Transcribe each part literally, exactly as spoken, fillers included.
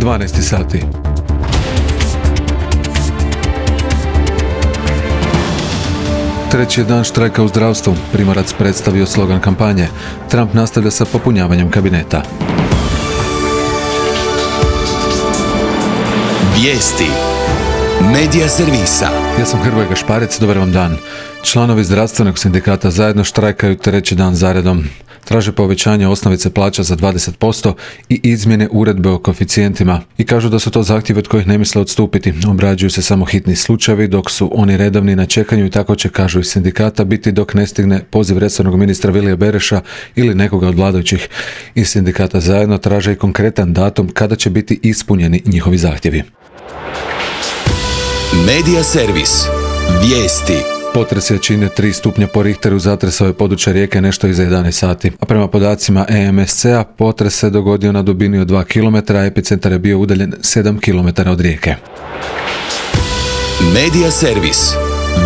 dvanaest sati. Treći je dan štrajka u zdravstvu. Primorac predstavio slogan kampanje. Trump nastavlja sa popunjavanjem kabineta. Vijesti Medija servisa. Ja sam Hrvoje Gašparec, dobar vam dan. Članovi zdravstvenog sindikata zajedno štrajkaju treći dan zaredom. Traže povećanje osnovice plaća za dvadeset posto i izmjene uredbe o koeficijentima i kažu da su to zahtjevi od kojih ne misle odstupiti. Obrađuju se samo hitni slučajevi, dok su oni redovni na čekanju i tako će, kažu iz sindikata, biti dok ne stigne poziv resornog ministra Vilija Bereša ili nekoga od vladajućih. Iz sindikata zajedno traže i konkretan datum kada će biti ispunjeni njihovi zahtjevi. Medija servis. Vijesti. Potres jačine tri stupnja po Richteru zatresao je područje Rijeke nešto iza jedanaest sati, a prema podacima E M S C-a potres se dogodio na dubini od dva kilometra, a epicentar je bio udaljen sedam kilometara od Rijeke. Medija servis.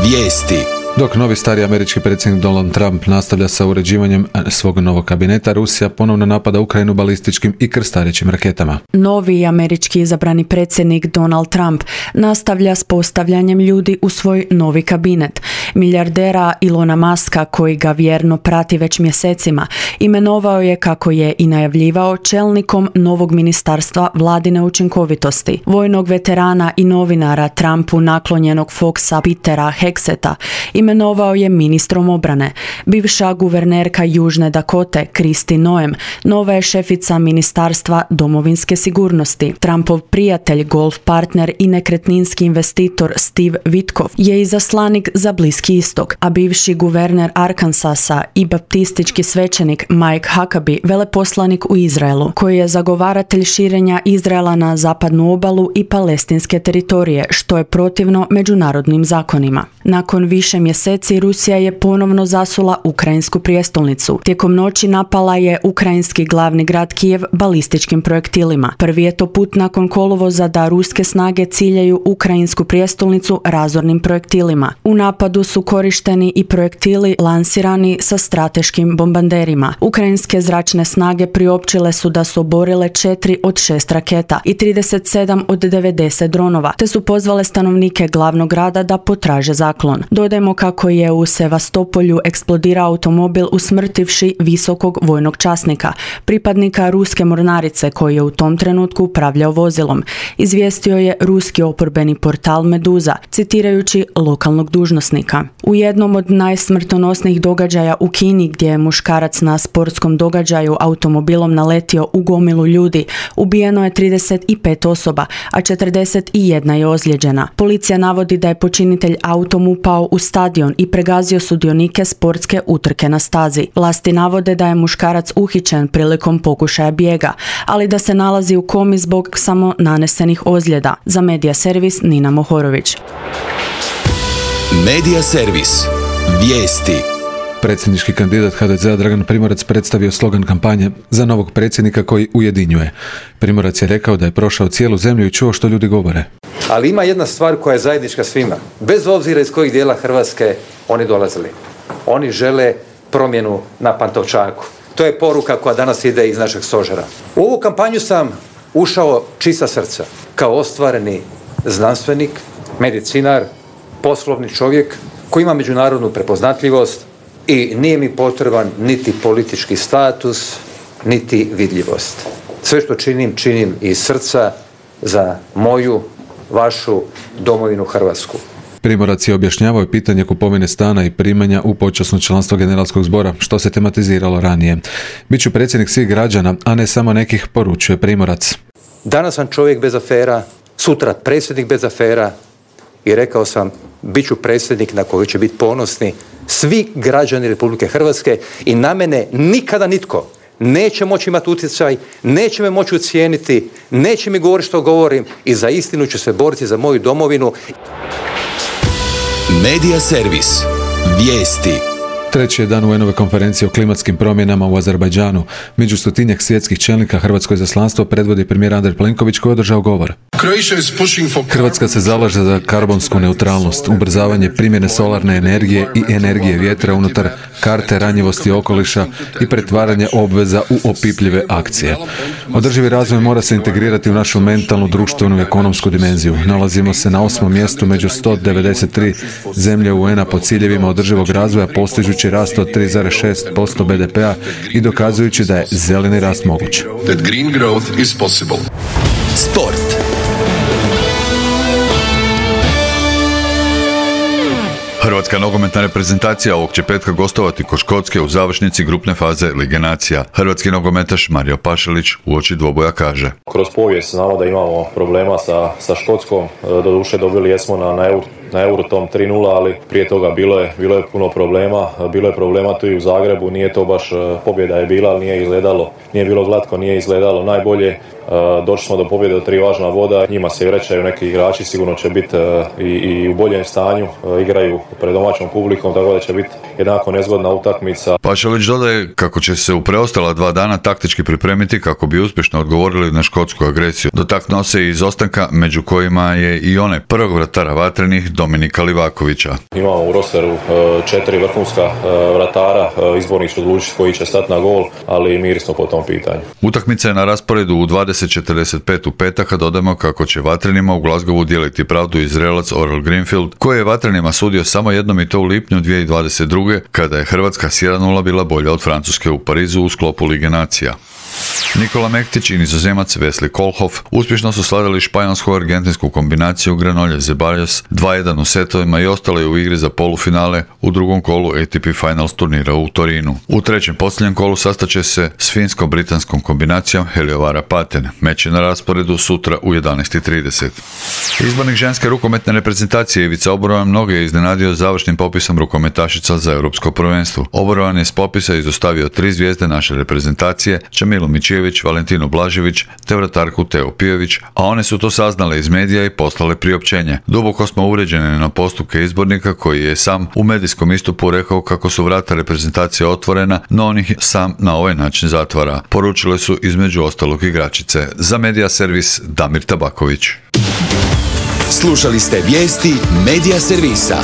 Vijesti. Dok novi stari američki predsjednik Donald Trump nastavlja sa uređivanjem svog novog kabineta, Rusija ponovno napada Ukrajinu balističkim i krstarećim raketama. Novi američki izabrani predsjednik Donald Trump nastavlja s postavljanjem ljudi u svoj novi kabinet. Milijardera Ilona Muska, koji ga vjerno prati već mjesecima, imenovao je, kako je i najavljivao, čelnikom novog ministarstva vladine učinkovitosti. Vojnog veterana i novinara Trumpu naklonjenog Foxa Petera Hexeta imenovao je ministrom obrane. Bivša guvernerka Južne Dakote Kristi Noem nova je šefica ministarstva domovinske sigurnosti. Trumpov prijatelj, golf partner i nekretninski investitor Steve Witkoff je izaslanik za Bliski istok, a bivši guverner Arkansasa i baptistički svećenik Mike Huckabee veleposlanik u Izraelu, koji je zagovaratelj širenja Izraela na zapadnu obalu i palestinske teritorije, što je protivno međunarodnim zakonima. Nakon više mjeseci Rusija je ponovno zasula ukrajinsku prijestolnicu. Tijekom noći napala je ukrajinski glavni grad Kijev balističkim projektilima. Prvi je to put nakon kolovoza da ruske snage ciljaju ukrajinsku prijestolnicu razornim projektilima. U napadu su korišteni i projektili lansirani sa strateškim bombarderima. Ukrajinske zračne snage priopćile su da su oborile četiri od šest raketa i trideset sedam od devedeset dronova, te su pozvale stanovnike glavnog grada da potraže zaklon. Dodajmo kako je u Sevastopolju eksplodirao automobil usmrtivši visokog vojnog časnika, pripadnika ruske mornarice koji je u tom trenutku upravljao vozilom, izvijestio je ruski oporbeni portal Meduza, citirajući lokalnog dužnosnika. U jednom od najsmrtonosnijih događaja u Kini, gdje je muškarac na sportskom događaju automobilom naletio u gomilu ljudi, ubijeno je trideset pet osoba, a četrdeset jedna je ozlijeđena. Policija navodi da je počinitelj autom upao u stadion i pregazio sudionike sportske utrke na stazi. Vlasti navode da je muškarac uhićen prilikom pokušaja bijega, ali da se nalazi u komi zbog samo nanesenih ozljeda. Za Medija servis Nina Mohorović. Medija servis. Vijesti. Predsjednički kandidat H D Z-a Dragan Primorac predstavio slogan kampanje za novog predsjednika koji ujedinjuje. Primorac je rekao da je prošao cijelu zemlju i čuo što ljudi govore. Ali ima jedna stvar koja je zajednička svima. Bez obzira iz kojih dijela Hrvatske oni dolazili. Oni žele promjenu na Pantovčaku. To je poruka koja danas ide iz našeg stožera. U ovu kampanju sam ušao čista srca. Kao ostvareni znanstvenik, medicinar, poslovni čovjek koji ima međunarodnu prepoznatljivost i nije mi potreban niti politički status, niti vidljivost. Sve što činim, činim iz srca za moju, vašu domovinu Hrvatsku. Primorac je objašnjavao pitanje kupovine stana i primanja u počasno članstvo generalskog zbora, što se tematiziralo ranije. Biću predsjednik svih građana, a ne samo nekih, poručuje Primorac. Danas sam čovjek bez afera, sutra predsjednik bez afera i rekao sam, bit ću predsjednik na koji će biti ponosni svi građani Republike Hrvatske i na mene nikada nitko neće moći imati utjecaj, neće me moći ucijeniti, neće mi govoriti što govorim i za istinu ću se boriti za moju domovinu. Medija servis. Vijesti. Treći je dan U N-ove konferencije o klimatskim promjenama u Azerbajdžanu. Među stotinjak svjetskih čelnika hrvatsko izaslanstvo predvodi premijer Andrej Plenković koji je održao govor. Hrvatska se zalaže za karbonsku neutralnost, ubrzavanje primjene solarne energije i energije vjetra unutar karte ranjivosti okoliša i pretvaranje obveza u opipljive akcije. Održivi razvoj mora se integrirati u našu mentalnu, društvenu i ekonomsku dimenziju. Nalazimo se na osmom mjestu među sto devedeset tri zemlje U N-a po ciljevima održivog razvoja, postižući rast od tri zarez šest posto be de pea i dokazujući da je zeleni rast moguć. Sport. Hrvatska nogometna reprezentacija ovog će petka gostovati kod Škotske u završnici grupne faze Lige nacija. Hrvatski nogometaš Mario Pašalić uoči dvoboja kaže: Kroz povijest znamo da imamo problema sa, sa Škotskom, doduše dobili jesmo na, na, Euro, na Euratom tri nula, ali prije toga bilo je, bilo je puno problema, bilo je problema tu i u Zagrebu, nije to baš, pobjeda je bila, ali nije izgledalo, nije bilo glatko, nije izgledalo najbolje. Došli smo do pobjede od tri važna voda, njima se vraćaju neki igrači, sigurno će biti i, i u boljem stanju, igraju pred domaćom publikom, tako da će biti jednako nezgodna utakmica. Pašalić dodaje kako će se u preostala dva dana taktički pripremiti kako bi uspješno odgovorili na škotsku agresiju. Dotaknuo se i izostanka, među kojima je i onaj prvog vratara vatrenih Dominika Livakovića. Imamo u rosteru četiri vrhunska vratara, izbornik će odlučiti koji će stati na gol, ali miri smo po tom pitanju. Utakmica je na rasporedu u dvadeset četrdeset pet u petak, a dodajemo kako će vatrenima u Glasgowu dijeliti pravdu Izraelac Orel Greenfield, koji je vatrenima sudio samo jednom i to u lipnju dvije tisuće dvadeset druge kada je Hrvatska s jedan nula bila bolja od Francuske u Parizu u sklopu Lige nacija. Nikola Mektić i Nizozemac Wesley Kohlhoff uspješno su slavili španjolsko-argentinsku kombinaciju Granollers Zeballos dva jedan u setovima i ostali u igri za polufinale u drugom kolu A T P Finals turnira u Torinu. U trećem posljednjem kolu sastaće se s finsko-britanskom kombinacijom Heliovara Paten. Meč je na rasporedu sutra u jedanaest i trideset. Izbornik ženske rukometne reprezentacije Ivica Oborovan mnoge je iznenadio završnim popisom rukometašica za europsko prvenstvo. Oborovan je s popisa izostavio tri zvijezde naše reprezentacije, Čamilu Mičijević, Valentinu Blažević te vratarku Teo Pijević, a one su to saznale iz medija i poslale priopćenje. Duboko smo uvrijeđeni na postupke izbornika koji je sam u medijskom istupu rekao kako su vrata reprezentacije otvorena, no on ih sam na ovaj način zatvara. Poručile su između ostalog igračice. Za Medija servis Damir Tabaković. Slušali ste vijesti Medija servisa.